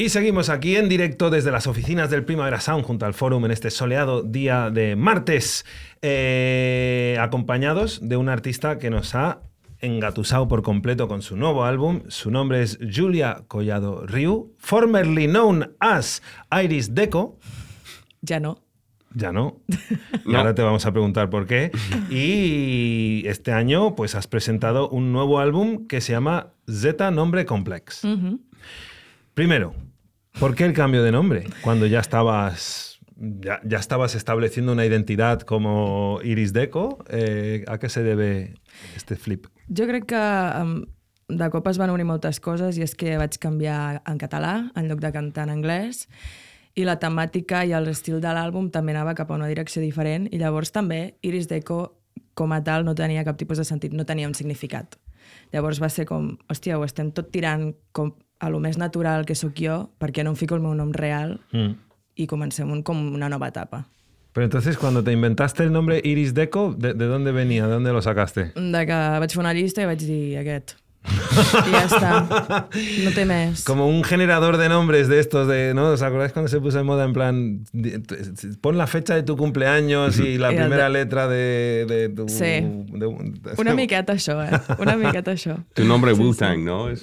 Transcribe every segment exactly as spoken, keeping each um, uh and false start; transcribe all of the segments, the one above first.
Y seguimos aquí en directo desde las oficinas del Primavera Sound junto al Fórum en este soleado día de martes, eh, acompañados de un artista que nos ha engatusado por completo con su nuevo álbum. Su nombre es Julia Collado Riu, formerly known as Iris Deco. Ya no. Ya no. Y no. ahora te vamos a preguntar por qué. Y este año pues has presentado un nuevo álbum que se llama Z Nombre Complex. Uh-huh. Primero, ¿por qué el cambio de nombre? Cuando ya estabas, ya, ya estabas estableciendo una identidad como Iris Deco, eh, ¿a qué se debe este flip? Jo crec que um, de cop es van unir moltes coses i és que vaig canviar en català en lloc de cantar en anglès i la temàtica i l'estil de l'àlbum també anava cap a una direcció diferent i llavors també Iris Deco com a tal no tenia cap tipus de sentit, no tenia un significat. Llavors va ser com, hòstia, ho estem tot tirant com a lo més natural que sóc jo, perquè no em fico el meu nom real mm. i comencem un, com una nova etapa. Pero entonces, cuando te inventaste el nombre Iris Deco, ¿de, de dónde venía? ¿De dónde lo sacaste? De que vaig fer una llista i vaig dir aquest. Y ya está. No té més. Como un generador de nombres de estos, de, ¿no? ¿Os acordáis cuando se puso en moda en plan, pon la fecha de tu cumpleaños y la I primera de... letra de, de tu... Sí. De, de... Una miqueta això, eh? Una miqueta això. Tu nombre Sí, Wu-Tang, sí. ¿no? Es...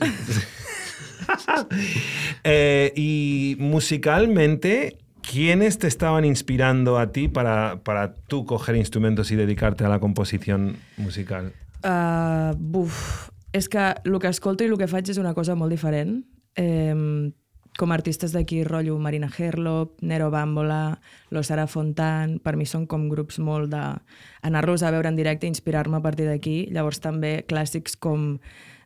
eh, y musicalmente, ¿quiénes te estaban inspirando a ti para, para tú coger instrumentos y dedicarte a la composición musical? Uh, buf, és que el que escolto i el que faig és una cosa molt diferent. Eh, com a artistes d'aquí, rotllo Marina Herlop, Nero Bambola, Lo Sara Fontan, per mi són com grups molt de... anar-los a veure en directe i inspirar-me a partir d'aquí. Llavors també clàssics com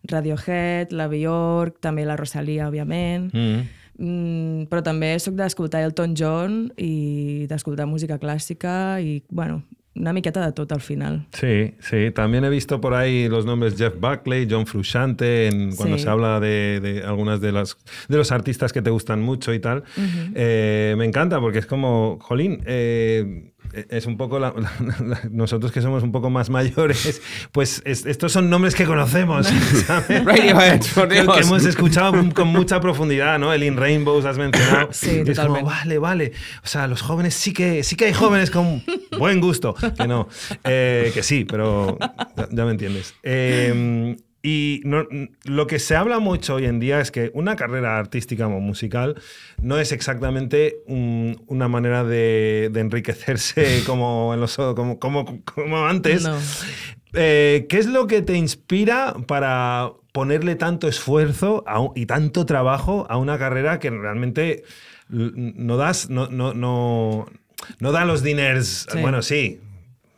Radiohead, la Björk, també la Rosalía, òbviament. Mm. Mm, però també sóc d'escoltar Elton John i d'escoltar música clàssica i, bueno, una miqueta de tot al final. Sí, sí. También he visto por ahí los nombres Jeff Buckley, John Frusciante, en, cuando sí. se habla de, de algunas de, las, de los artistas que te gustan mucho y tal. Uh-huh. Eh, me encanta porque es como, jolín, eh, es un poco la, la, la, nosotros que somos un poco más mayores, pues es, estos son nombres que conocemos, ¿sabes? Radiohead, por Dios. Que hemos escuchado con mucha profundidad, ¿no? El In Rainbows has mencionado. Sí, y es como, vale, vale. O sea, los jóvenes sí que sí que hay jóvenes con buen gusto. Que no, eh, que sí, pero ya, ya me entiendes. Eh, Y no, lo que se habla mucho hoy en día es que una carrera artística o musical no es exactamente un, una manera de, de enriquecerse como, en los, como, como, como antes. No. Eh, ¿Qué es lo que te inspira para ponerle tanto esfuerzo a un, y tanto trabajo a una carrera que realmente no das, no, no, no, no da los diners? Sí. Bueno, sí.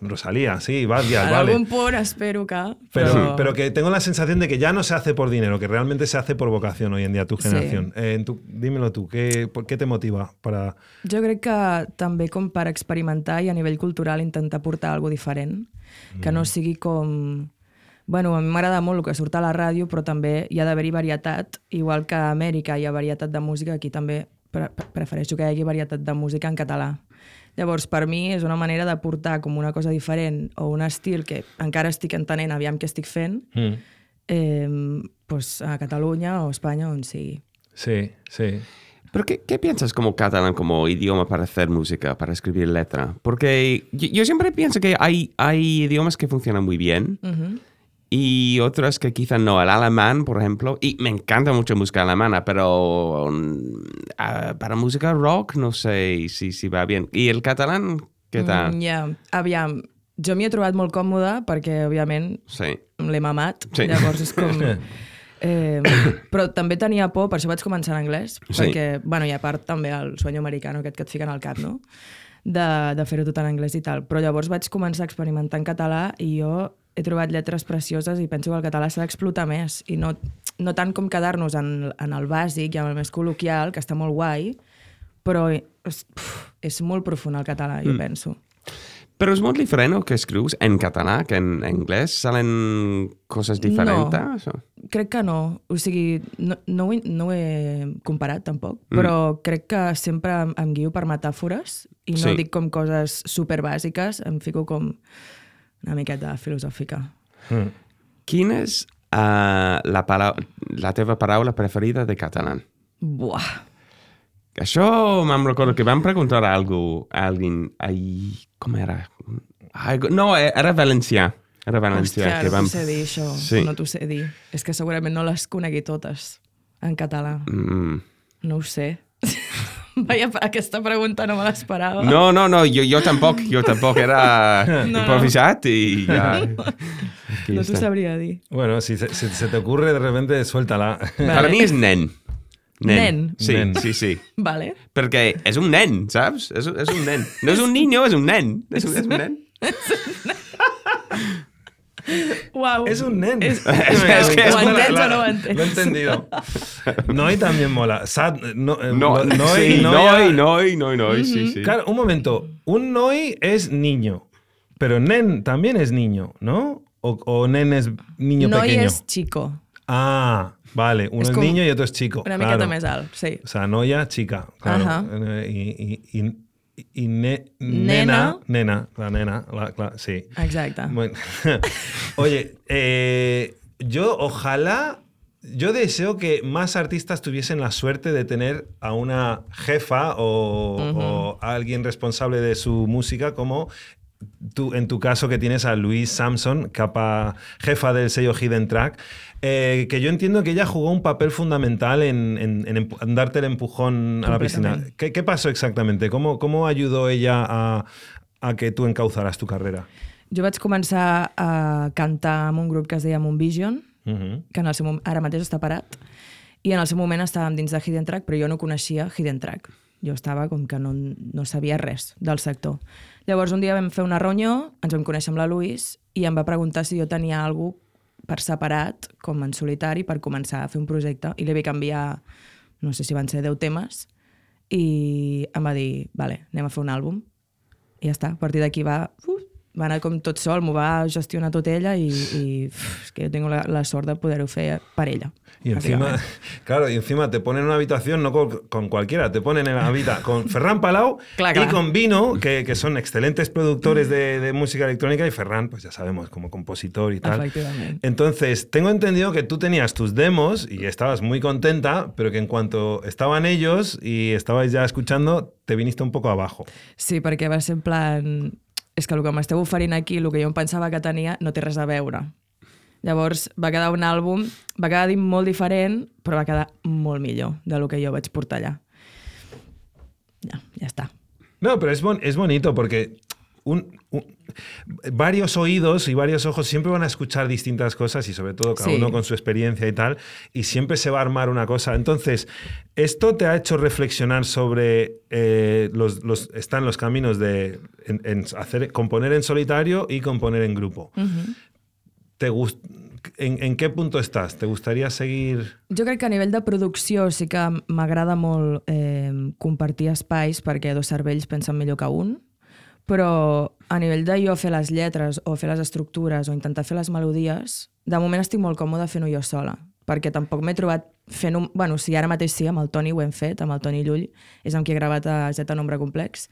Rosalía, sí, Badia, en vale. algún punt espero que... Pero, pero... pero que tengo la sensación de que ya no se hace por dinero, que realmente se hace por vocación hoy en día, tu generación. Sí. Eh, tu, dímelo tú, ¿qué, por, ¿qué te motiva para...? Jo crec que també com per experimentar i a nivell cultural intentar portar alguna diferent, que no sigui com... Bueno, a mi m'agrada molt el que surt a la ràdio, però també hi ha d'haver-hi varietat, igual que a Amèrica hi ha varietat de música, aquí també pre prefereixo que hi hagi varietat de música en català. Llavors, per mi és una manera de portar com una cosa diferent o un estil que encara estic entenent, aviam què estic fent, mm. eh, pues a Cataluña o España, on sigui. Sí, sí. ¿Pero qué, qué piensas como catalán, como idioma para hacer música, para escribir letra? Porque yo, yo siempre pienso que hay, hay idiomas que funcionan muy bien uh-huh. y otros que quizá no. El alemán, por ejemplo, y me encanta mucho música alemana, pero uh, para música rock no sé si, si va bien. ¿Y el catalán què tal? Mm, yeah. Aviam, jo m'hi he trobat molt còmoda perquè, òbviament, sí. l'he mamat. Sí. Llavors és com... Eh, però també tenia por, per això vaig començar en anglès, sí. perquè, bueno, i a part també el sueño americano aquest que et fiquen al cap, no? De, de fer-ho tot en anglès i tal. Però llavors vaig començar a experimentar en català i jo he trobat lletres precioses i penso que el català s'ha d'explotar més i no, no tant com quedar-nos en, en el bàsic i en el més col·loquial, que està molt guai, però és, puf, és molt profund el català, jo mm. penso. Pero es muy diferente que escribes en catalán que en inglés. ¿Salen cosas diferentes? No, crec que no. O sigui, no, no, ho, he, no ho he comparat tampoc, mm. però crec que sempre em, em guio per metàfores i no sí. dic com coses superbàsiques, em fico com una miqueta filosòfica. Mm. Quina és uh, la, la teva paraula preferida de català? Buah! Això me'n recordo que vam preguntar a algú, a algú, ai, com era? Ai, no, era valencià. Era valencià. Hòstia, que no vam... t'ho sé dir, això. Sí. No t'ho sé dir. És que segurament no les conegui totes en català. Mm. No ho sé. Vaja, aquesta pregunta no me l'esperava. No, no, no, jo, jo tampoc, jo tampoc era No. improvisat i ja... No t'ho sabria dir. Bueno, si, se- si se te ocurre, de repente, suéltala. Per mi és nen. Nen? Sí, Nen. sí, sí. Vale. Perquè és un nen, saps? És, és un nen. No és un niño, és un nen. És un, és un nen. Uau. Es un nen. Es- es que es ¿Lo una- entiendes o no lo entiendes? Lo he entendido. Noi también mola. Sad, no, eh, No, lo- noi, sí, noia- noi, noi, noi, noi, sí, sí. Claro, un momento. Un noi es niño, pero nen también es niño, ¿no? O, o nen es niño Noi pequeño. és chico. Ah, vale. Uno Es es, com niño y otro es chico. Una claro. miqueta més alt, sí. O sea, noia, chica. Claro. Ajá. Eh, Y, y, y, y ne- Nena. nena, nena, la nena, la- la- sí. Exacte. Bueno. Oye, eh, yo ojalá, yo deseo que más artistas tuviesen la suerte de tener a una jefa o, Ujú. o a alguien responsable de su música como tú, en tu caso que tienes a Louise Samson, capa, jefa del sello Hidden Track, eh, que yo entiendo que ella jugó un papel fundamental en, en- en empu- en darte el empujón a la piscina. Completamente. ¿Qué, qué pasó exactamente? ¿Cómo, cómo ayudó ella a, a que tú encauzaras tu carrera? Jo vaig començar a cantar amb un grup que es deia Moonvision, Ujú. que en el seu, mom- ara mateix està parat, i en el seu moment estàvem dins de Hidden Track, però jo no coneixia Hidden Track. Jo estava com que no, no sabia res del sector. Llavors un dia vam fer una reunió, ens vam conèixer amb la Louise, i em va preguntar si jo tenia alguna cosa per separat, com en solitari, per començar a fer un projecte. I li vaig canviar, no sé si van ser deu temes, i em va dir, vale, anem a fer un àlbum. I ja està, a partir d'aquí va, uh, va anar com tot sol, m'ho va gestionar tot ella i, i uf, és que jo tinc la, la sort de poder-ho fer per ella. Y encima, bàsicament. claro, y encima te ponen en una habitación no con, con cualquiera, te ponen en la habitación con Ferran Palau Clar, y clar. con Vino, que, que son excelentes productores de, de música electrónica, y Ferran, pues ya sabemos, como compositor y tal. Efectivament. Entonces, tengo entendido que tú tenías tus demos y estabas muy contenta, pero que en cuanto estaban ellos y estabais ya escuchando, te viniste un poco abajo. Sí, perquè va ser en plan... És que el que m'esteu oferint aquí, el que jo em pensava que tenia, no té res a veure. Llavors va quedar un àlbum, va quedar di- molt diferent, però va quedar molt millor del que jo vaig portar allà. Ja, ja està. No, pero es, bon- es bonito porque un, un- varios oídos y varios ojos siempre van a escuchar distintas cosas y sobre todo cada Sí. uno con su experiencia y tal, y siempre se va a armar una cosa. Entonces, ¿esto te ha hecho reflexionar sobre eh, los, los, están los caminos de en, en hacer, componer en solitario y componer en grupo? Uh-huh. ¿Te gust- en, ¿En qué punto estás? ¿Te gustaría seguir...? Jo crec que a nivell de producció sí que m'agrada molt eh, compartir espais perquè dos cervells pensen millor que un, però a nivell de jo fer les lletres o fer les estructures o intentar fer les melodies, de moment estic molt còmode fent-ho jo sola, perquè tampoc m'he trobat fent un... Bueno, sí, ara mateix sí, amb el Toni ho hem fet, amb el Toni Llull, és amb qui he gravat a Z Nombre Complex,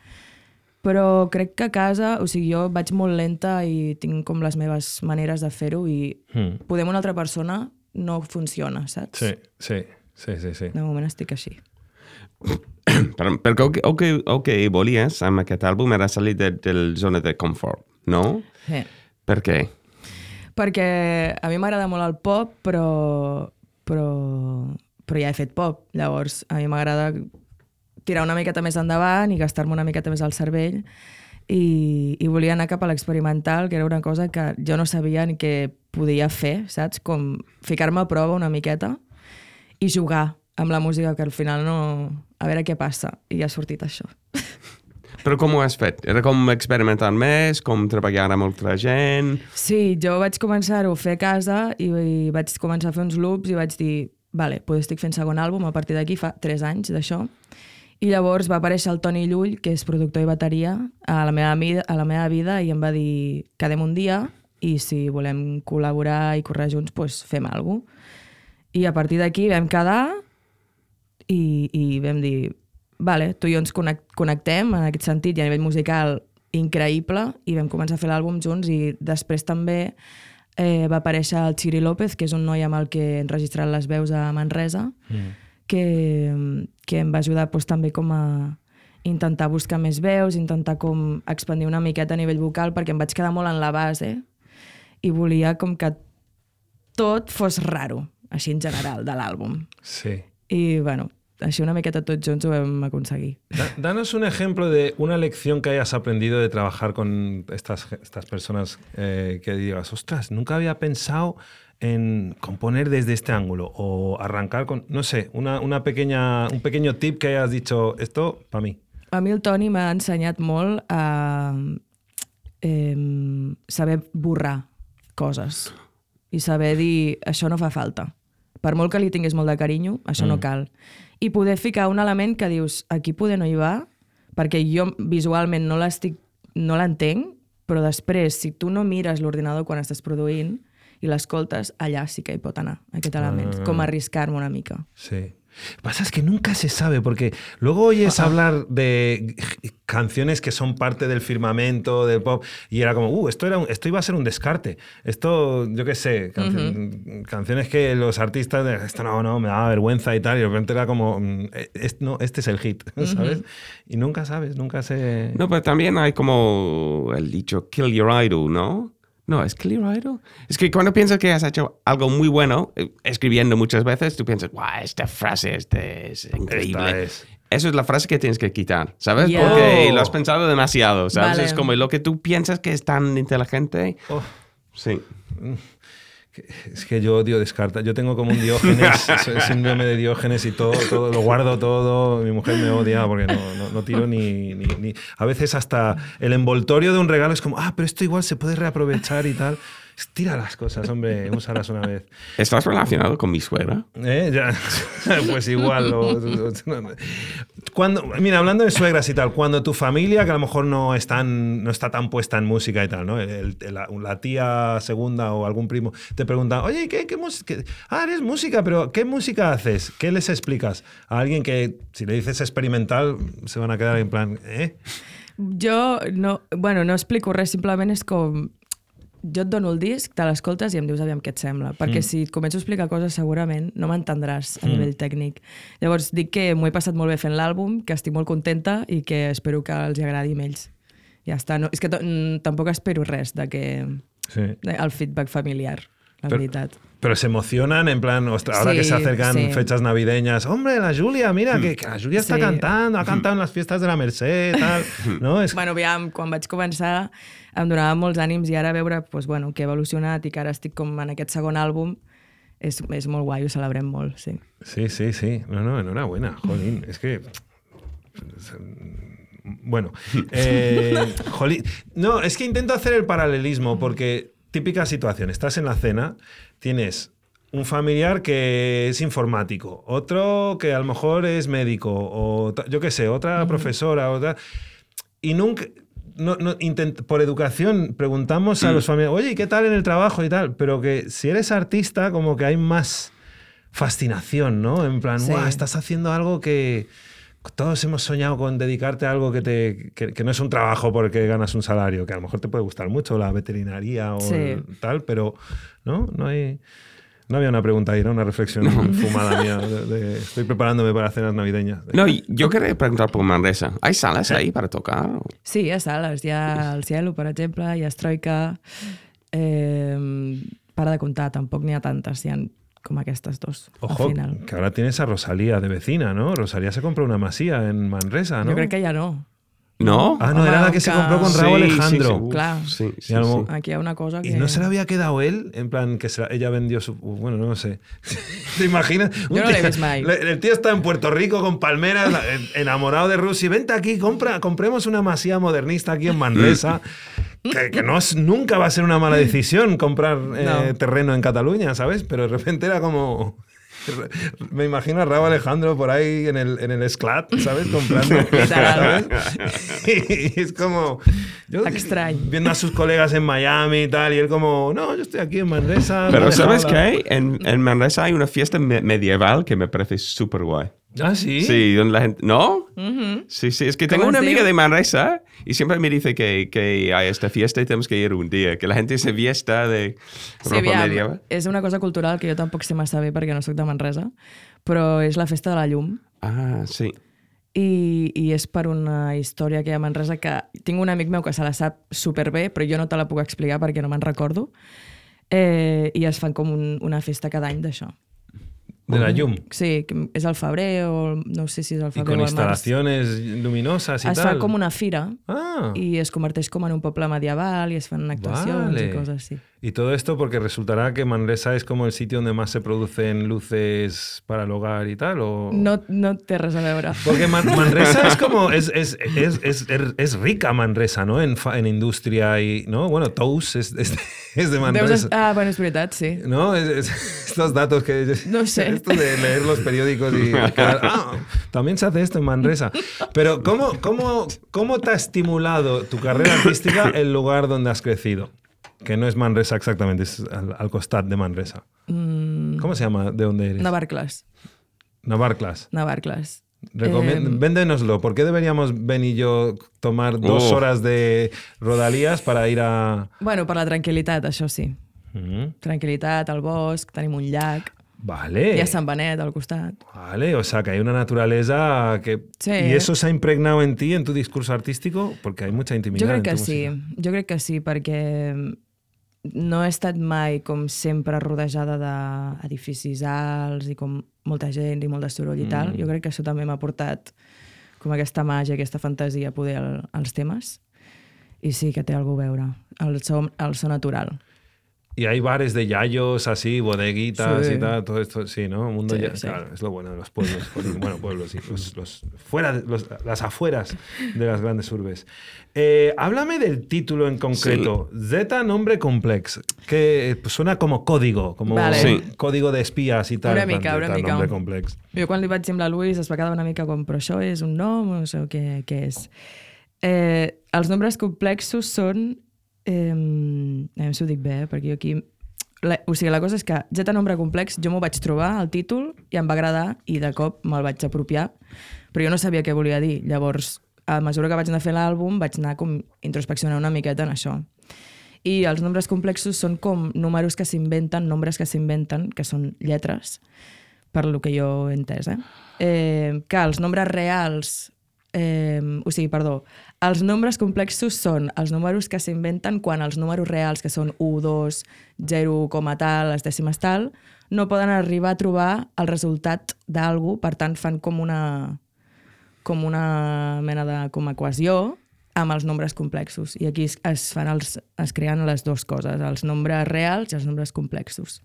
però crec que a casa, o sigui, jo vaig molt lenta i tinc com les meves maneres de fer-ho i Hmm. poder amb una altra persona no funciona, saps? Sí, sí, sí, sí, sí. De moment estic així. Però, perquè el que, el, que, el que volies amb aquest àlbum era salir de, de la zona de confort, no? Sí. Per què? Perquè a mi m'agrada molt el pop, però, però, però ja he fet pop. Llavors, a mi m'agrada tirar una miqueta més endavant i gastar-me una miqueta més al cervell i, i volia anar cap a l'experimental, que era una cosa que jo no sabia ni què podia fer, saps? Com ficar-me a prova una miqueta i jugar amb la música, que al final no... A veure què passa. I ja ha sortit això. Però com ho has fet? Era com experimentar més, com treballar amb altra gent... Sí, jo vaig començar-ho a fer a casa i, i vaig començar a fer uns loops i vaig dir, vale, doncs estic fent segon àlbum a partir d'aquí, fa tres anys d'això. I llavors va aparèixer el Toni Llull, que és productor i bateria, a la meva, vida, a la meva vida i em va dir, quedem un dia i si volem col·laborar i córrer junts, doncs fem alguna cosa. I a partir d'aquí vam quedar i, i vam dir, vale, tu i jo ens connectem en aquest sentit i a nivell musical increïble i vam començar a fer l'àlbum junts i després també eh, va aparèixer el Chiri López, que és un noi amb el que he enregistrat les veus a Manresa, mm. que, que em va ajudar doncs, també com a intentar buscar més veus, intentar com expandir una miqueta a nivell vocal, perquè em vaig quedar molt en la base i volia com que tot fos raro, així en general, de l'àlbum. Sí. I, bueno, així una miqueta tots junts ho vam aconseguir. Danos un ejemplo de una lección que hayas aprendido de trabajar con estas, estas personas eh, que digas, ostras, nunca había pensado en componer desde este ángulo o arrancar con, no sé, una, una pequeña, un pequeño tip que hayas dicho, esto para mí. A mi el Toni m'ha ensenyat molt a eh, saber borrar coses i saber dir, això no fa falta. Per molt que li tinguis molt de carinyo, això mm. no cal. I poder ficar un element que dius, aquí poder no hi va, perquè jo visualment no l'estic, no l'entenc, però després, si tu no mires l'ordinador quan estàs produint i l'escoltes, allà sí que hi pot anar, aquest element. Ah. Com arriscar-me una mica. Sí. Pasa es que nunca se sabe, porque luego oyes uh-huh. hablar de canciones que son parte del firmamento del pop y era como, uh, esto, era un, esto iba a ser un descarte. Esto, yo qué sé, canci uh-huh. canciones que los artistas, esto no, no, me daba vergüenza y tal, y de repente era como, es, no, este es el hit, ¿sabes? Uh-huh. Y nunca sabes, nunca se... No, pero también hay como el dicho, kill your idol, ¿no? No, ¿es kill your idol? Es que cuando piensas que has hecho algo muy bueno, escribiendo muchas veces, tú piensas, guau, esta frase este es increíble. Es. Eso es la frase que tienes que quitar, ¿sabes? Yeah. Porque lo has pensado demasiado, ¿sabes? Vale. Es como lo que tú piensas que es tan inteligente. Oh. Sí. Es que yo odio descartar. Yo tengo como un Diógenes, síndrome de Diógenes y todo, todo, lo guardo todo. Mi mujer me odia porque no, no, no tiro ni, ni, ni... A veces hasta el envoltorio de un regalo es como, ah, pero esto igual se puede reaprovechar y tal. Tira las cosas, hombre, úsalas una vez. ¿Estás relacionado con mi suegra? ¿Eh? Ya. Pues igual. Lo, lo, cuando, mira, hablando de suegras y tal, cuando tu familia, que a lo mejor no, es tan, no está tan puesta en música y tal, ¿no? El, el, la, la tía segunda o algún primo te pregunta, oye, ¿qué, qué música? Ah, eres música, pero ¿qué música haces? ¿Qué les explicas? A alguien que, si le dices experimental, se van a quedar en plan, ¿eh? Jo no, bueno, no explico res, simplement és com... Jo et dono el disc, te l'escoltes i em dius aviam què et sembla. Perquè mm. si et començo a explicar coses segurament no m'entendràs a mm. nivell tècnic. Llavors dic que m'ho he passat molt bé fent l'àlbum, que estic molt contenta i que espero que els agradi a ells. Ja està. No, és que tampoc espero res de que sí. el feedback familiar, la pero, veritat. Pero se emocionan en plan, ostras, ahora sí, que se acercan sí. fechas navideñas, hombre, la Julia, mira, que, que la Julia está sí. cantando, ha cantado en las fiestas de la Merced, tal. No? Es... Bueno, aviam, quan vaig començar em donava molts ànims i ara veure pues, bueno, que he evolucionat i que ara estic com en aquest segon àlbum és, és molt guai, ho celebrem molt, sí. Sí, sí, sí. No, no, enhorabuena, jolín. Es que... Bueno, eh, jolín. No, es que intento hacer el paralelismo porque típica situación, estás en la cena, tienes un familiar que es informático, otro que a lo mejor es médico, o yo qué sé, otra uh-huh. profesora, otra... Y nunca... No, no, intent, por educación preguntamos a los familiares, oye, ¿y qué tal en el trabajo y tal? Pero que si eres artista, como que hay más fascinación, ¿no? En plan, sí. ¡guau! Estás haciendo algo que todos hemos soñado con dedicarte a algo que, te, que, que no es un trabajo porque ganas un salario, que a lo mejor te puede gustar mucho, la veterinaria o sí. el, tal, pero no, no hay... No había una pregunta ahí, ¿no? Una reflexión no. fumada mía. De, de, estoy preparándome para cenas navideñas. No, yo quería preguntar por Manresa. ¿Hay salas ahí para tocar? Sí, hi ha sales. Hi ha el Cielo, per exemple, hi ha Troika. Eh, para de comptar, tampoc n'hi ha tantes. Hi ha com aquestes dos, Ojo, al final. Que ahora tienes a Rosalía de vecina, ¿no? Rosalía se compró una masía en Manresa, ¿no? Jo crec que ja no. ¿No? Ah, no, Home, era la que, que se compró con Raúl sí, Alejandro. Sí, sí, claro. Sí, sí, algo, sí. Aquí hay una cosa que... ¿Y no se le había quedado él? En plan, que se, ella vendió su... Bueno, no sé. ¿Te imaginas? Yo no le ves mal. El tío está en Puerto Rico con palmeras, enamorado de Rusia. Vente aquí, compra, compremos una masía modernista aquí en Manresa. que que no es, nunca va a ser una mala decisión comprar eh, no. terreno en Cataluña, ¿sabes? Pero de repente era como... Me imagino a Raúl Alejandro por ahí en el, en el Esclat, ¿sabes? Comprando, ¿sabes? Y es como... Yo, extraño. Viendo a sus colegas en Miami y tal, y él como, no, yo estoy aquí en Manresa. Pero ¿sabes qué? En, en Manresa hay una fiesta me medieval que me parece súper guay. ¿Ah, sí? Sí, donde la gente... ¿No? Uh-huh. Sí, sí. Es que tengo una amiga de Manresa y siempre me dice que, que hay esta fiesta y tenemos que ir un día. Que la gente se fiesta de ropa sí, aviam, medieval. És una cosa cultural que jo tampoc sé massa bé perquè no soc de Manresa, però és la festa de la llum. Ah, sí. I, i és per una història que hi ha a Manresa que tinc un amic meu que se la sap superbé, però jo no te la puc explicar perquè no me'n recordo. Eh, I es fan com un, una festa cada any d'això. De la llum. Sí, que és al febrer o no sé si és al Y febrer con o al març. instalaciones luminosas y Es tal. fa com una fira Ah, i es converteix com en un poble medieval i es fan actuacions Vale. i coses així. y todo esto porque resultará que Manresa es como el sitio donde más se producen luces para el hogar y tal, ¿o? No, no té res a veure. Porque Man- Manresa es como, es, es, es, es, es rica Manresa, ¿no? En, fa- en industria y, ¿no? Bueno, Tous es, es, es de Deus Manresa. es... Ah, bueno, és veritat, sí. ¿No? Es- es- estos datos que... No sé. Esto de leer los periódicos y... Ah, también se hace esto en Manresa. Pero ¿cómo, cómo, cómo te ha estimulado tu carrera artística el lugar donde has crecido? Que no es Manresa exactamente, es al, al costat de Manresa. Mm, ¿Cómo se llama? ¿De dónde eres? Navarcles. Navarclas. Navarcles. Recomien- Eh, Véndenoslo. ¿Por qué deberíamos Ben y yo tomar dos Oh. horas de rodalías para ir a... Bueno, per la tranquil·litat, això sí. Mm, Tranquil·litat, al bosc, tenim un llac, Vale. hi ha Sant Benet al costat. Vale, o sea que hay una naturaleza que... Sí. ¿Y eso se ha impregnado en ti, en tu discurso artístico? Porque hay mucha intimidad Jo crec en tu que sí, música. jo crec que sí, perquè no he estat mai, com sempre, rodejada d'edificis alts i com molta gent i molt de soroll i tal. Mm. Jo crec que això també m'ha portat com aquesta màgia, aquesta fantasia a poder el, als temes. I sí que té alguna a veure, el so, el so natural. Y hay bares de yayos así, bodeguitas Sí. y tal, todo esto, sí, ¿no? Un mundo Sí, ya- sí. Claro, es lo bueno de los pueblos, bueno, pueblos, sí, los, los fuera, de- los- las afueras de las grandes urbes. Eh, háblame del título en concreto, Z Nombre Complex, que pues, suena como código, como Vale. Sí. código de espías y tal. Una en plan, mica, una Z mica. Nombre Complex. Jo quan li vaig dir amb la Louise es va quedar una mica com però això és un nom o no sé què, què és. Eh, els nombres complexos són... Eh, a veure si ho dic bé, eh, perquè jo aquí... La, o sigui, la cosa és que Z Nombre Complex jo m'ho vaig trobar, el títol, i em va agradar i de cop me'l vaig apropiar, però jo no sabia què volia dir. Llavors, a mesura que vaig anar fent l'àlbum, vaig anar com introspeccionant una miqueta en això. I els nombres complexos són com números que s'inventen, nombres que s'inventen, que són lletres, per lo que jo he entès, eh? eh que els nombres reals, eh, o sigui, perdó, els nombres complexos són els números que s'inventen quan els números reals, que són u, dos, zero, coma tal, les dècimes tal, no poden arribar a trobar el resultat d'algú, per tant fan com una, com una mena de com equació amb els nombres complexos. I aquí es, es, fan els, es creen les dues coses, els nombres reals i els nombres complexos.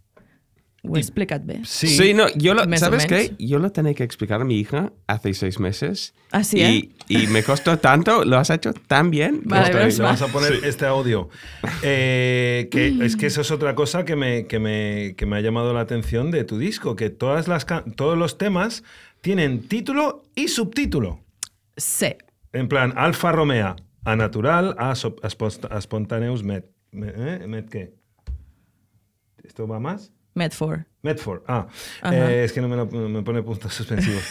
Ho he explicat bé? Sí. Sí, no, yo lo, Más o ¿sabes menos. qué? Yo lo tenía que explicar a mi hija hace seis meses. Ah, sí, ¿eh? y, y me costó tanto, lo has hecho tan bien. que Vale, estoy- menos Le mal. vamos a poner este audio. Eh, que es que eso es otra cosa que me, que, me, que me ha llamado la atención de tu disco, que todas las, ca- todos los temas tienen título y subtítulo. Sí. En plan, Alfa Romeo, a natural, a, so- a spost- a spontaneus met. Me- ¿Eh? ¿Met qué? ¿Esto va más? Medford. Medford, ah, Ajá. eh, es que no me, lo, me pone puntos suspensivos.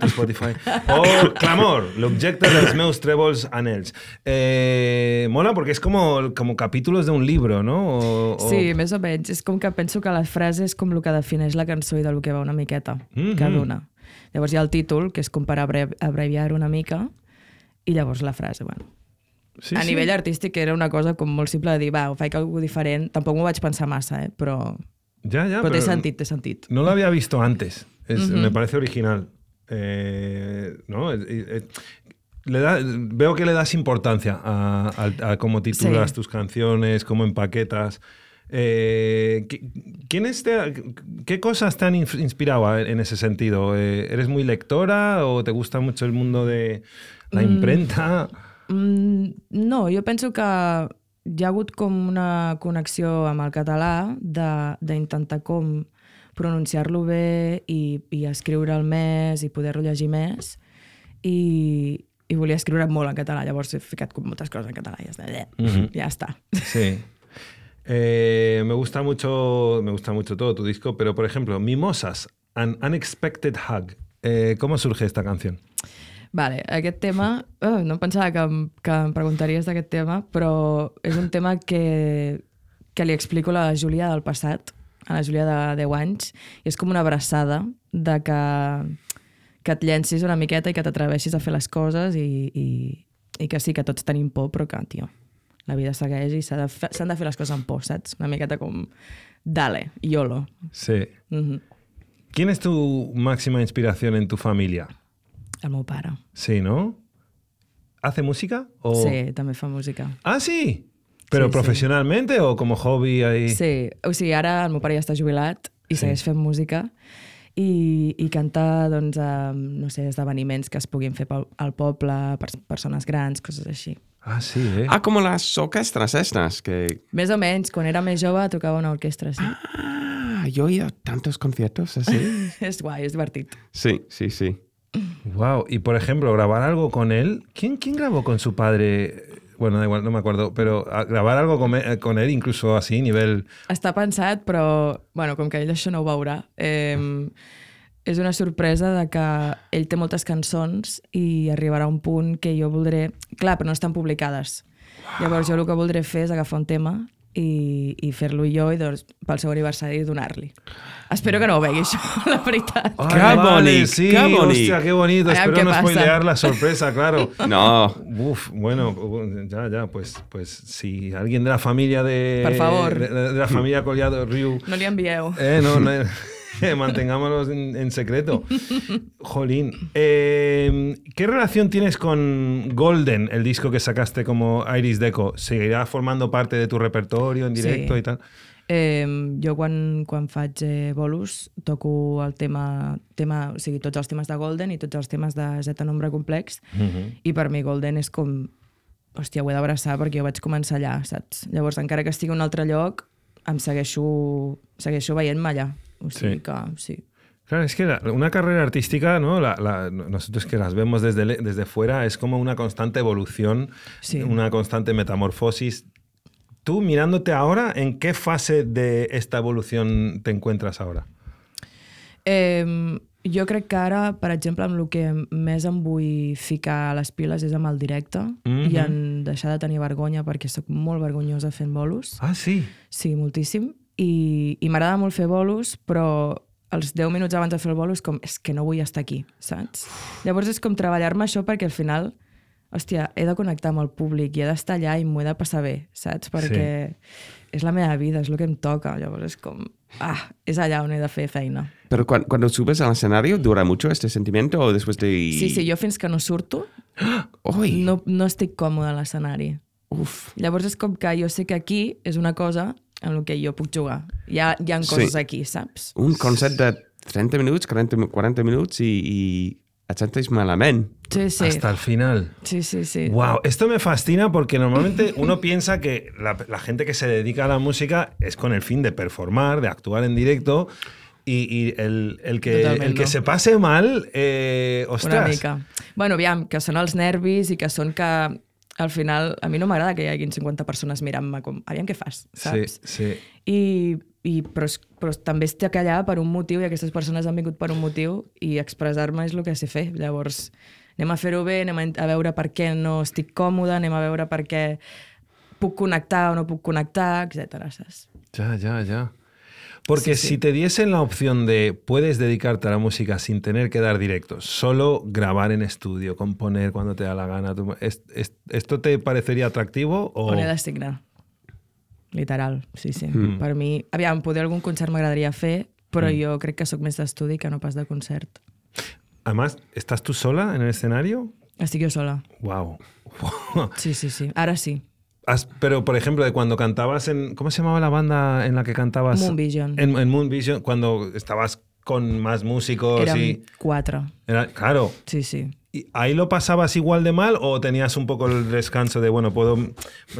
Spotify. O Clamor, l'objecte dels meus trèvols anells. Eh, mola perquè és com, com capítulos d'un llibre, no? O, o... Sí, més o menys. És com que penso que la frase és com el que defineix la cançó i del que va una miqueta, Mhm. cada una. Llavors hi ha el títol, que és com per abre abreviar una mica, i llavors la frase, bueno. Sí, a sí. nivell artístic era una cosa com molt simple de dir, va, ho faig alguna diferent. Tampoc m'ho vaig pensar massa, eh? però, Ya, ya, però té pero sentit, té sentit. No lo había visto antes. Es- Ujú. Me parece original. Eh, ¿no? Eh, eh, le da, veo que le das importancia a, a- a cómo titulas Sí. tus canciones, cómo empaquetas. Eh, ¿qui- ¿quiénes te- ¿Qué cosas te han inf- inspirado en ese sentido? Eh, ¿Eres muy lectora o te gusta mucho el mundo de la imprenta? Mm, no, jo penso que hi ha hagut com una connexió amb el català de- d'intentar com pronunciar-lo bé i, i escriure'l més i poder-lo llegir més i, i volia escriure molt en català, llavors he ficat com moltes coses en català i ja està. Ujú. Ja està. Sí. Eh, me gusta mucho, me gusta mucho todo tu disco, pero por ejemplo, Mimosas, An Unexpected Hug. Eh, ¿Cómo surge esta canción? Vale, aquest tema, oh, no em pensava que em, que em preguntaries d'aquest tema, però és un tema que, que li explico a la Júlia del passat, a la Júlia de deu anys, i és com una abraçada de que, que et llencis una miqueta i que t'atreveixis a fer les coses i, i, i que sí, que tots tenim por, però que, tio, la vida segueix i s'han de, fe, s'han de fer les coses amb por, saps? Una miqueta com, dale, YOLO. Sí. Mm-hmm. ¿Quién es tu máxima inspiración en tu familia? El meu pare. Sí, ¿no? ¿Hace música? O... Sí, també fa música. Ah, sí? ¿Pero Sí, profesionalmente sí. o como hobby ahí? Sí, o sigui, ara el meu pare ja està jubilat i Sí. segueix fent música i, i canta, doncs, a, no sé, esdeveniments que es puguin fer pel, al poble, per persones grans, coses així. Ah, sí, eh? Ah, como las orquestas estas, que... Més o menys, quan era més jove tocava una orquestra, sí. Ah, yo he ido a tantos conciertos así. És guai, és divertit. Sí, sí, sí. Wow. Y por ejemplo, grabar algo con él. ¿Quién, quién grabó con su padre? Bueno, da igual, no me acuerdo. Pero grabar algo con, con él, incluso así, nivel... Està pensat, però, bueno, com que ell això no ho veurà, eh, és una sorpresa de que ell té moltes cançons i arribarà un punt que jo voldré... Clar, però no estan publicades. Wow. Llavors jo el que voldré fer és agafar un tema i, i fer-lo jo i doncs, pel seu aniversari donar-li. Espero que no ho vegi això, la veritat. Ay, ¡Qué vale, bonito! sí, ¡Qué bonito! hostia, qué bonito. Vean Espero qué no pasa. spoilear la sorpresa, claro. No. Uf, bueno, ya, ya, pues, pues si alguien de la familia de... Por favor. De, de la familia Collado Riu... No li envieu. Eh, no, no, mantengámoslos en, en secreto. Jolín. Eh, ¿Qué relación tienes con Golden, el disco que sacaste como Iris Deco? ¿Seguirá formando parte de tu repertorio en directo Sí. y tal? Eh, jo quan, quan faig eh, bolos toco el tema, tema, o sigui, tots els temes de Golden i tots els temes de Z Nombre Complex, Uh-huh. i per mi Golden és com, hòstia, ho he d'abraçar perquè jo vaig començar allà, saps? Llavors, encara que estigui a un altre lloc, em segueixo, segueixo veient-me allà. O sigui Sí. que, sí. Claro, es que la- una carrera artística, ¿no? La, la- nosotros que las vemos desde, le- desde fuera, es como una constante evolución, Sí. una constante metamorfosis. Tú, mirándote ahora, ¿en qué fase de esta evolución te encuentras ahora? Eh, jo crec que ara, per exemple, amb el que més em vull ficar a les piles és amb el directe Mhm. i en deixar de tenir vergonya perquè sóc molt vergonyosa fent bolos. Ah, sí. Sí, moltíssim. I, i m'agrada molt fer bolos, però els deu minuts abans de fer el bolo és com, és que no vull estar aquí, saps? Llavors és com treballar-me això perquè al final, hòstia, he de connectar amb el públic i he d'estar allà i m'ho he de passar bé, saps? Perquè és la meva vida, és el que em toca. Llavors és com, ah, és allà on he de fer feina. Pero cu- cuando subes al escenario, ¿dura mucho este sentimiento o después de...? Sí, sí, jo fins que no surto ¡Uy! no, no estic còmode a l'escenari. Uf. Llavors és com que jo sé que aquí és una cosa en la que jo puc jugar. Hi ha, hi ha coses Sí. aquí, saps? Un concert de treinta minutos, cuarenta, cuarenta minutos y, y et sentes malament. Sí, sí. Hasta el final. Sí, sí, sí. Wow, esto me fascina porque normalmente uno piensa que la, la gente que se dedica a la música es con el fin de performar, de actuar en directo y, y el, el, que, Totalment el que no. se pase mal, eh, ostras. Una mica. Bueno, aviam, que són els nervis i que són que al final a mi no m'agrada que hi haguin cinquanta persones mirant-me com, aviam què fas, saps? Sí, sí. I, i, però, és- però també estic allà per un motiu i aquestes persones han vingut per un motiu i expressar-me és el que sé fer. Llavors, anem a fer-ho bé, anem a, a veure per què no estic còmode, anem a veure per què puc connectar o no puc connectar, etcètera. Saps? Ya, ya, ya. Porque Sí, sí. si te diesen la opción de puedes dedicarte a la música sin tener que dar directos, solo grabar en estudio, componer cuando te da la gana, tú- es- es- ¿esto te parecería atractivo? O... On he de signar. Literal, sí, sí. Mm. Per mi, aviam, poder algun concert m'agradaria fer, però mm. jo crec que sóc més d'estudi que no pas de concert. Además, ¿estás tú sola en el escenario? Estic jo sola. Wow. Sí, sí, sí. Ara sí. Has- pero, por ejemplo, de cuando cantabas en... ¿Cómo se llamaba la banda en la que cantabas? Moon Vision. En, en Moon Vision, cuando estabas con más músicos Érem y... quatre. Era, claro. Sí, sí. ¿Y ¿Ahí lo pasabas igual de mal o tenías un poco el descanso de, bueno, puedo...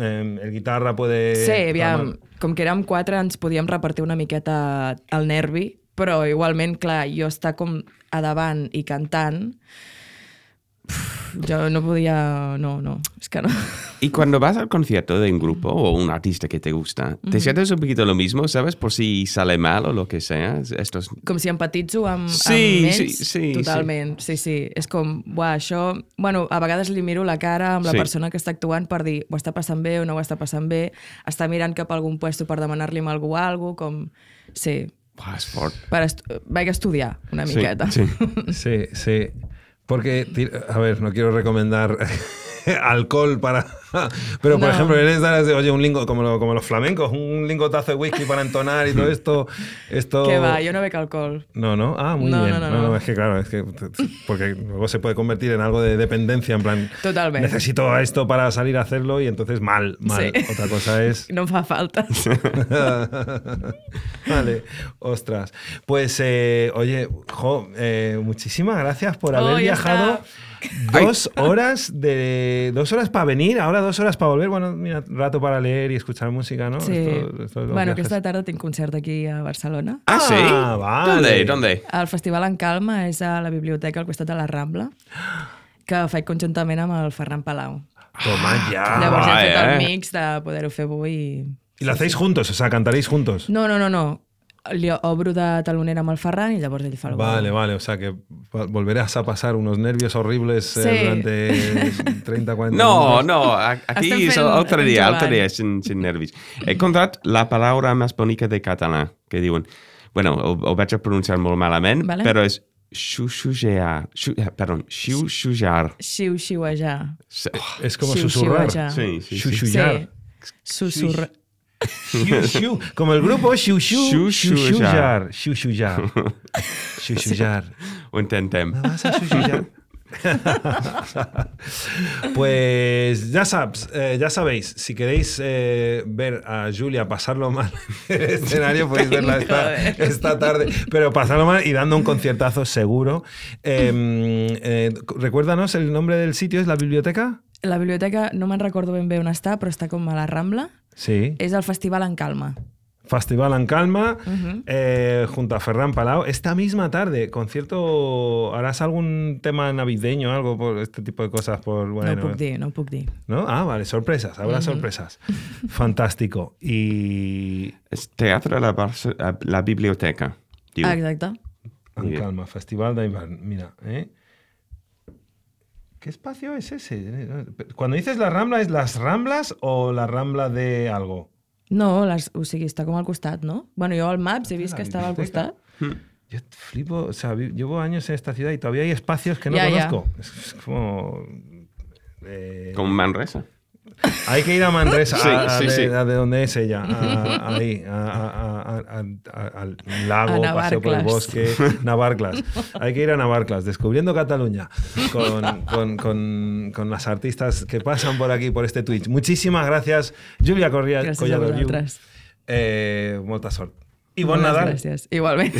Eh, el guitarra puede... Sí, aviam, calmar? com que érem quatre ens podíem repartir una miqueta el nervi, però igualment, clar, jo estar com a davant i cantant, uf, jo no podia... No, no, és que no. y cuando vas al concierto de un grupo o un artista que te gusta, ¿te uh-huh. sientes un poquito lo mismo, sabes? Por si sale mal o lo que sea. Estos... Com si empatitzo amb, sí, amb ells. Sí, sí, totalment, sí. sí, sí. És com, buah, això... Bueno, a vegades li miro la cara amb la sí. persona que està actuant per dir ho està passant bé o no ho està passant bé, està mirant cap a algun puesto per demanar-li a algú algo, com... Sí. Buah, és fort. Per estu... Vaig estudiar una sí, miqueta. Sí, sí. sí. Porque, a ver, no quiero recomendar alcohol para... Pero, por no. ejemplo, eres de, oye, un lingo, como, lo, como los flamencos, un lingotazo de whisky para entonar y todo esto... esto... Que va, yo no bebo alcohol. No, no, ah, muy no, bien. No, no, no, no. no, es que claro, es que... Porque luego se puede convertir en algo de dependencia, en plan... Totalmente. Necesito esto para salir a hacerlo y entonces mal, mal. Sí. Otra cosa es... No fa falta. Vale, ostras. Pues, eh, oye, jo, eh, muchísimas gracias por haber oh, viajado... Dos horas de dos horas para venir, ahora dos horas para volver. Bueno, mira, rato para leer y escuchar música, ¿no? Sí. Esto, esto bueno, viajes. Aquesta tarda tinc concert aquí a Barcelona. Ah, sí? Ah, vale. ¿Dónde? ¿Dónde? El Festival en Calma és a la biblioteca al costat de la Rambla, que faig conjuntament amb el Ferran Palau. Toma ya. Llavors ah, hem fet eh? el mix de poder-ho fer avui. I, ¿Y lo hacéis juntos? O sea, ¿cantaréis juntos? No, no, no, no. Li obro de talonera amb el Ferran i llavors ell fa el Vale, vale, o sea que volverás a pasar unos nervios horribles sí. eh, durante treinta, cuarenta no, minutos. No, aquí es otro día, otro día sin, sin nervios. He encontrat la palabra más bonica de català, que diuen, bueno, ho, ho vaig a pronunciar molt malament, vale. Però és xuxujear, xu, perdón, xiuxujar. Xiuxiuejar. Oh, es como susurrar. Sí, sí, xuxullar. Sí. Susurrar. Xiu, xiu. Como el grupo Xiu Xiu, Xiuxullar. Xiuxullar. Xiuxullar. Ho intentem. ¿Me vas a xiuxullar? Pues ya sabes, eh, ya sabéis, si queréis eh, ver a Julia pasarlo mal en el escenario, podéis verla esta, esta tarde, pero pasarlo mal y dando un conciertazo seguro. Eh, eh, recuérdanos el nombre del sitio, ¿es la biblioteca? La biblioteca no me'n recordo ben bé on està, però està com a la Rambla. Sí. És el Festival en Calma. Festival en Calma, uh-huh. eh, junto a Ferran Palau. Esta misma tarde, concierto, ¿harás algún tema navideño, algo por este tipo de cosas? Por, bueno, no ho puc dir, no ho puc dir. ¿No? Ah, vale, sorpresas, habrá uh-huh. sorpresas. Fantástico. Y... Es Teatre la, Barça, la Biblioteca. Diu. Ah, exacte. En Calma, Festival de Invierno. Mira, ¿eh? ¿Qué espacio es ese? Cuando dices la Rambla, ¿es las Ramblas o la Rambla de algo? No, les, o sigui, està com al costat, ¿no? Bueno, jo al Maps he vist que estava al costat. Yo flipo, o sea, llevo años en esta ciudad y todavía hay espacios que no ya, conozco. Ya. Es como... Eh, como Manresa. Hay que ir a Manresa, sí, a, a, sí, de, sí. a de donde es ella, a, ahí, a, a, a, a, al lago, paseo por el bosque, Navarclas. Hay que ir a Navarclas, descubriendo Cataluña, con, con, con, con las artistas que pasan por aquí, por este Twitch. Muchísimas gracias, Julia Collado. Gràcies a vosaltres. Eh, molta sort. I bon Nadal. Gràcies, igualment.